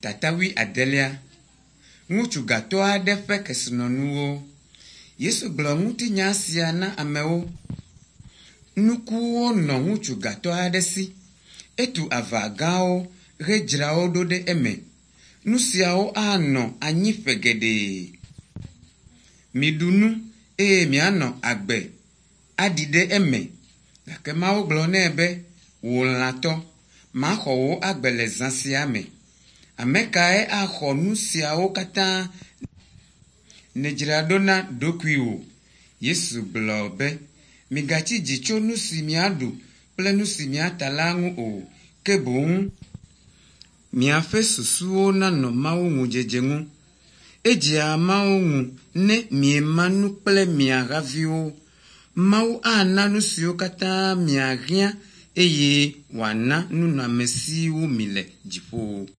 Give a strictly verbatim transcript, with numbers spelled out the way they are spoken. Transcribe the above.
Tata wuiadelia. Ŋutsu gatɔ aɖe ƒe kesinɔnuwo. Yesu gblɔ ŋutinya sia na amewo. Nukuwo nɔ ŋutsu gatɔ aɖe si. Etu ava gãwo hedzra wo ɖo ɖe eme. Nu siawo anɔ anyi ƒe geɖe. Miɖu nu eye mianɔ agbe aɖi ɖe eme. Gake Mawu gblɔ nɛ be, “Wò lãtɔ, maxɔ wò agbe le zã sia me. Ame kae axɔ nu siawo katã nèdzra ɖo na ɖokuiwò?” Yesu gblɔ be, “Migatsi dzi tso nu si miaɖu kple nu si miata la ŋu o, ke boŋ miaƒe susuwo nanɔ Mawu ŋudzedze ŋu. Edzea Mawu ŋu ne miema nu kple mia haviwo. Mawu ana nu siwo katã miahiã eye wòana nunɔamesiwo mi le dziƒo.”